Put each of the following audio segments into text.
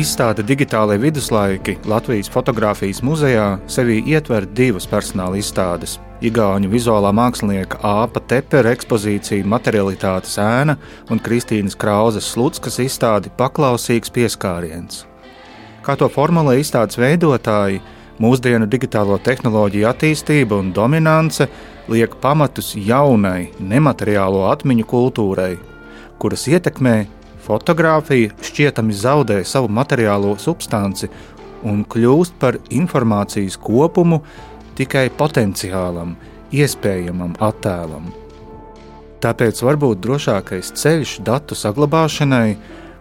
Izstāde Digitālie viduslaiki Latvijas fotogrāfijas muzejā sevī ietver divas personāla izstādes – igauņu vizuālā mākslinieka Āpa Tepera ekspozīcija Materialitātes ēna un Kristīnas Krauzes Slutskas izstādi Paklausīgs pieskāriens. Kā to formulē izstādes veidotāji, mūsdienu digitālo tehnoloģiju attīstība un dominance liek pamatus jaunai, nemateriālo atmiņu kultūrai, kuras ietekmē fotogrāfija šķietami zaudē savu materiālo substanci un kļūst par informācijas kopumu tikai potenciālam, iespējamam attēlam. Tāpēc varbūt drošākais ceļš datu saglabāšanai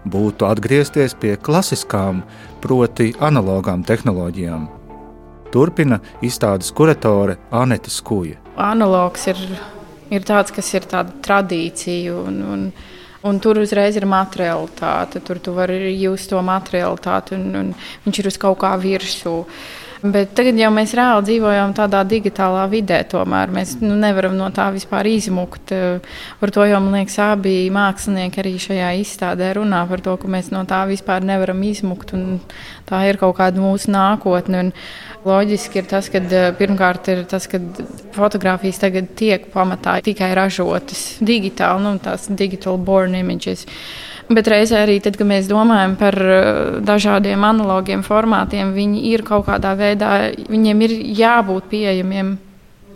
būtu atgriezties pie klasiskām, proti analogām tehnoloģijām. Turpina izstādes kuratore Anete Skuja. Analogs ir tāds, kas ir tāda tradīcija un tur uzreiz ir materialitāte. Tur tu vari just to materialitāti un viņš ir uz kaut kā virsū. Bet tagad jau mēs reāli dzīvojam tādā digitālā vidē, tomēr mēs nevaram no tā vispār izmukt. Par to jau, man liekas, abi mākslinieki arī šajā izstādē runā par to, ka mēs no tā vispār nevaram izmukt un tā ir kaut kāda mūsu nākotne. Un loģiski ir tas, ka pirmkārt ir tas, ka fotogrāfijas tagad tiek pamatā tikai ražotas digitāli, tās digital born images. Bet reizē arī tad, kad mēs domājam par dažādiem analogiem formātiem, viņi ir kaut kādā veidā, viņiem ir jābūt pieejamiem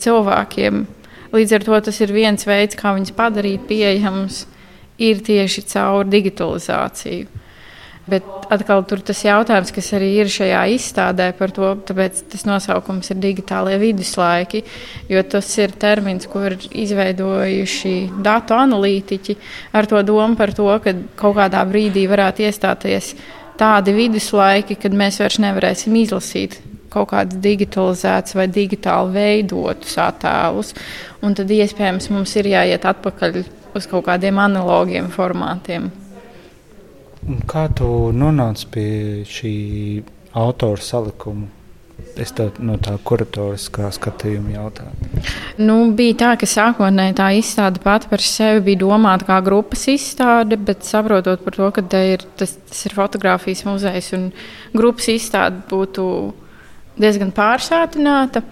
cilvēkiem. Līdz ar to tas ir viens veids, kā viņus padarīt pieejams, ir tieši caur digitalizāciju. Bet atkal tur tas jautājums, kas arī ir šajā izstādē par to, tāpēc tas nosaukums ir digitālie viduslaiki, jo tas ir termins, ko ir izveidojuši datu analītiķi ar to domu par to, ka kaut kādā brīdī varētu iestāties tādi viduslaiki, kad mēs vairs nevarēsim izlasīt kaut kādus digitalizētus vai digitāli veidotus attēlus, un tad iespējams mums ir jāiet atpakaļ uz kaut kādiem analogiem formātiem. Kā tu nonāci pie šī autora salikuma? Es no tā kuratoriskā skatījuma jautāju. Bija tā, ka sākotnēji tā izstāde pati par sevi bija domāta kā grupas izstāde, bet saprotot par to, ka tas ir fotogrāfijas muzejs un grupas izstāde būtu diezgan pārsātināta.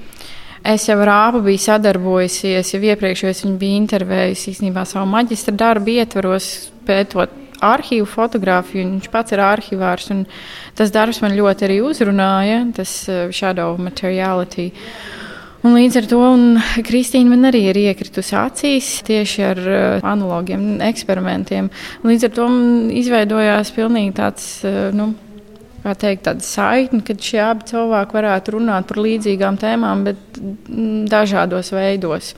Es jau ar Āpu biju sadarbojusies, jau iepriekš es viņu biju intervējusi īstenībā savu maģistra darbu ietvaros, pētot arhīvu fotogrāfiju, un viņš pats ir arhivārs, un tas darbs man ļoti arī uzrunāja, tas shadow materiality. Un līdz ar to Kristīna man arī ir iekritusi acīs tieši ar analogiem eksperimentiem. Līdz ar to izveidojās pilnīgi tāds, tāda saikne, kad šie abi cilvēki varētu runāt par līdzīgām tēmām, bet dažādos veidos.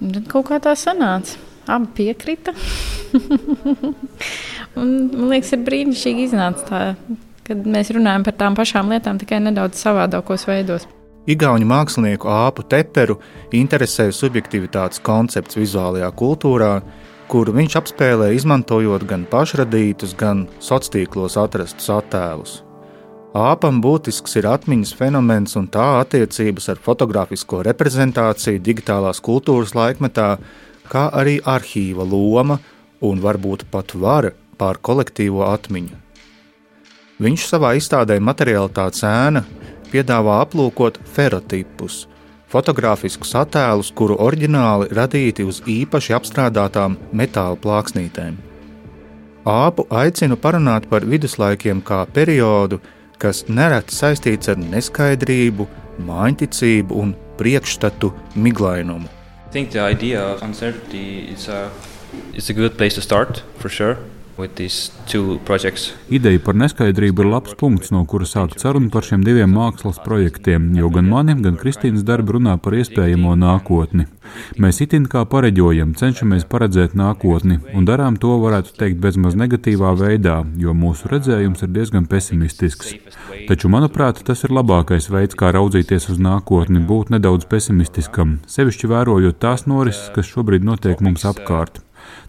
Un tad kaut kā tā sanāca. Abi piekrita. Un, man liekas, ir brīnišķīgi iznāca tā, kad mēs runājam par tām pašām lietām, tikai nedaudz savādākos veidos. Igauņu mākslinieku Āpu Teperu interesē subjektivitātes koncepts vizuālajā kultūrā, kuru viņš apspēlē izmantojot gan pašradītus, gan sociālos atrastus attēlus. Āpam būtisks ir atmiņas fenomens un tā attiecības ar fotogrāfisko reprezentāciju digitālās kultūras laikmetā, kā arī arhīva loma un varbūt pat vara pār kolektīvo atmiņu. Viņš savā izstādē Materialitātes ēna piedāvā aplūkot ferotipus, fotogrāfiskus attēlus, kuru oriģināli radīti uz īpaši apstrādātām metāla plāksnītēm. Āpu aicinu parunāt par viduslaikiem kā periodu, kas nereti saistīts ar neskaidrību, māņticību un priekšstatu miglainumu. I think the idea of uncertainty is a good place to start, for sure, with these two projects. Ideja par neskaidrību ir labs punkts, no kura sākt sarunu par šiem diviem mākslas projektiem, jo gan mani, gan Kristīnas darbi runā par iespējamo nākotni. Mēs itin kā pareģojam, cenšamies paredzēt nākotni, un darām to, varētu teikt, bezmaz negatīvā veidā, jo mūsu redzējums ir diezgan pesimistisks. Taču, manuprāt, tas ir labākais veids, kā raudzīties uz nākotni, būt nedaudz pesimistiskam, sevišķi vērojot tās norises, kas šobrīd notiek mums apkārt.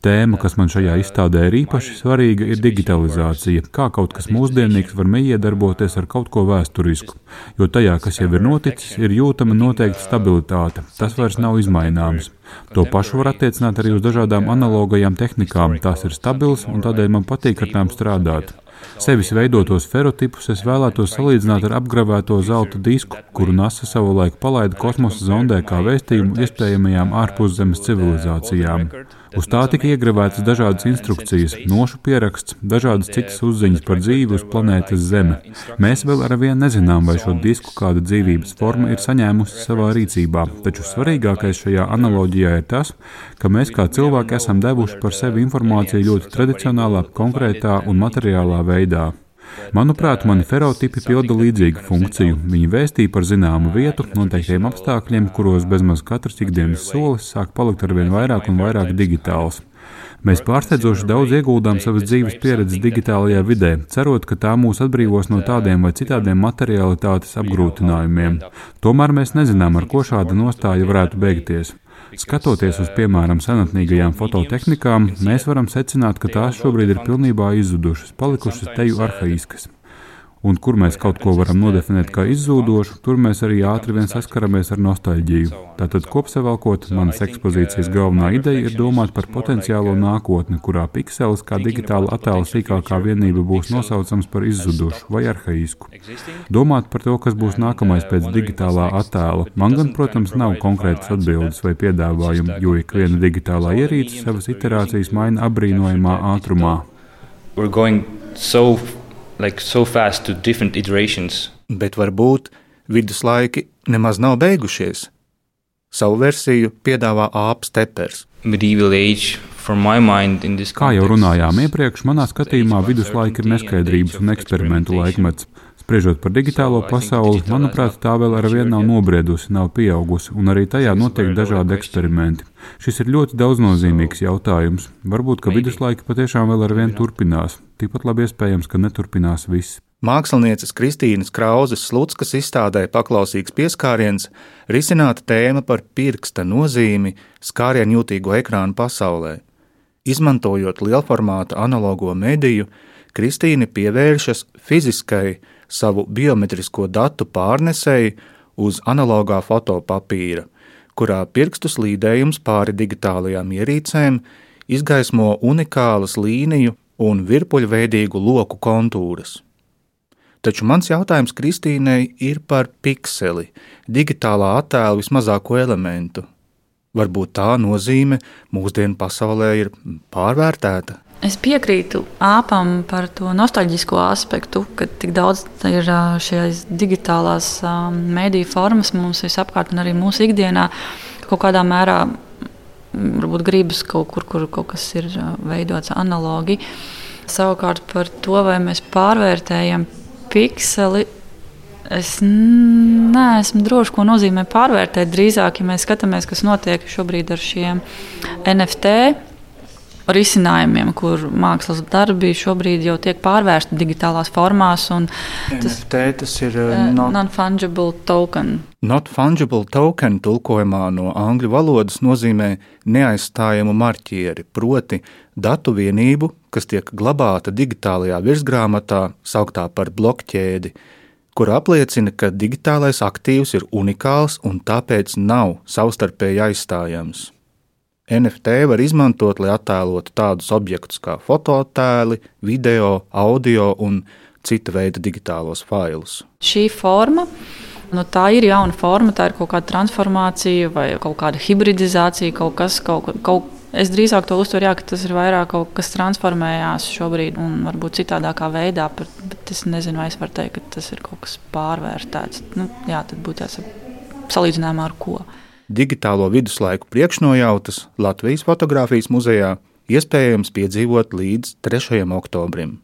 Tēma, kas man šajā izstādē ir īpaši svarīga, ir digitalizācija, kā kaut kas mūsdienīgs var iedarboties ar kaut ko vēsturisku, jo tajā, kas jau ir noticis, ir jūtama noteikta stabilitāte, tas vairs nav izmaināms. To pašu var attiecināt arī uz dažādām analogajām tehnikām, tās ir stabilas un tādēļ man patīk ar tām strādāt. Sevis veidotos ferotipus es vēlētos salīdzināt ar apgravēto zelta disku, kuru NASA savulaik palaida kosmosa zondē kā vēstījumu iespējamajām ārpuszemes civilizācijām. Uz tā tika iegravētas dažādas instrukcijas, nošu pieraksts, dažādas citas uzziņas par dzīvi uz planētas Zeme. Mēs vēl arvien nezinām, vai šo disku kāda dzīvības forma ir saņēmusi savā rīcībā, taču svarīgākais šajā analoģijā ir tas, ka mēs kā cilvēki esam devuši par sevi informāciju ļoti tradicionālā, konkrētā un materiālā veidā. Manuprāt, mani ferotipi pilda līdzīgu funkciju. Viņi vēstīja par zināmu vietu, noteiktiem apstākļiem, kuros bezmaz katrs ikdienas solis sāk palikt arvien vairāk un vairāk digitāls. Mēs pārsteidzoši daudz ieguldām savas dzīves pieredzes digitālajā vidē, cerot, ka tā mūs atbrīvos no tādiem vai citādiem materialitātes apgrūtinājumiem. Tomēr mēs nezinām, ar ko šāda nostāja varētu beigties. Skatoties uz, piemēram, senatnīgajām fototehnikām, mēs varam secināt, ka tās šobrīd ir pilnībā izzudušas, palikušas teju arhaiskas. Un kur mēs kaut ko varam nodefinēt kā izzūdošu, tur mēs arī ātri vien saskaramies ar nostalģiju. Tātad, kopsavilkot, manas ekspozīcijas galvenā ideja ir domāt par potenciālo nākotni, kurā pikselis kā digitāla attēla sīkākā vienība būs nosaucams par izzudušu vai arhaisku. Domāt par to, kas būs nākamais pēc digitālā attēla. Man gan, protams, nav konkrētas atbildes vai piedāvājumi, jo ikviena digitālā ierīce savas iterācijas maina apbrīnojamā ātrumā. So fast to different iterations. Bet varbūt viduslaiki nemaz nav beigušies. Savu versiju piedāvā Āpas Tepers. Medieval age, from my mind, in this Kā jau runājām iepriekš, manā skatījumā viduslaiki ir neskaidrības un eksperimentu laikmets. Spriežot par digitālo pasauli, manuprāt, tā vēl arvien nav nobriedusi, nav pieaugusi, un arī tajā notiek dažādi eksperimenti. Šis ir ļoti daudznozīmīgs jautājums. Varbūt, ka viduslaiki patiešām vēl arvien turpinās. Tikpat labi iespējams, ka neturpinās viss. Mākslinieces Kristīnas Krauzes Slutskas izstādē Paklausīgs pieskāriens risināta tēma par pirksta nozīmi skārienjūtīgo ekrānu pasaulē. Izmantojot lielformāta analogo mediju, Kristīne pievēršas fiziskai savu biometrisko datu pārnesēji uz analogā fotopapīra, kurā pirkstu slīdējums pāri digitālajām ierīcēm izgaismo unikālas līniju un virpuļveidīgu loku kontūras. Taču mans jautājums Kristīnei ir par pikseli, digitālā attēla vismazāko elementu. Varbūt tā nozīme mūsdienu pasaulē ir pārvērtēta? Es piekrītu Āpam par to nostalģisko aspektu, ka tik daudz ir šīs digitālās mēdīju formas mums visapkārt un arī mūsu ikdienā kaut kādā mērā varbūt gribas kaut kur, kur kaut kas ir veidots analogi. Savukārt par to, vai mēs pārvērtējam pikseli, es neesmu droši, ko nozīmē pārvērtēt. Drīzāk, ja mēs skatāmies, kas notiek šobrīd ar šiem NFT risinājumiem, kur mākslas darbi šobrīd jau tiek pārvērsti digitālās formās. NFT tas ir non-fungible token. Not fungible token tulkojumā no angļu valodas nozīmē neaizstājamu marķieri, proti datu vienību, kas tiek glabāta digitālajā virsgrāmatā, sauktā par blokķēdi, kur apliecina, ka digitālais aktīvs ir unikāls un tāpēc nav savstarpēji aizstājams. NFT var izmantot, lai attēlotu tādus objektus kā fotoattēli, video, audio un cita veida digitālos failus. Šī forma, tā ir jauna forma, tā ir kaut kāda transformācija vai kaut kāda hibridizācija, es drīzāk to uztveru, ka tas ir vairāk kaut kas transformējās šobrīd un varbūt citādākā veidā, bet es nezinu, vai es varu teikt, ka tas ir kaut kas pārvērtēts. Tad būtu salīdzinājumā ar ko. Digitālo viduslaiku priekšnojautas Latvijas fotogrāfijas muzejā iespējams piedzīvot līdz 3. oktobrim.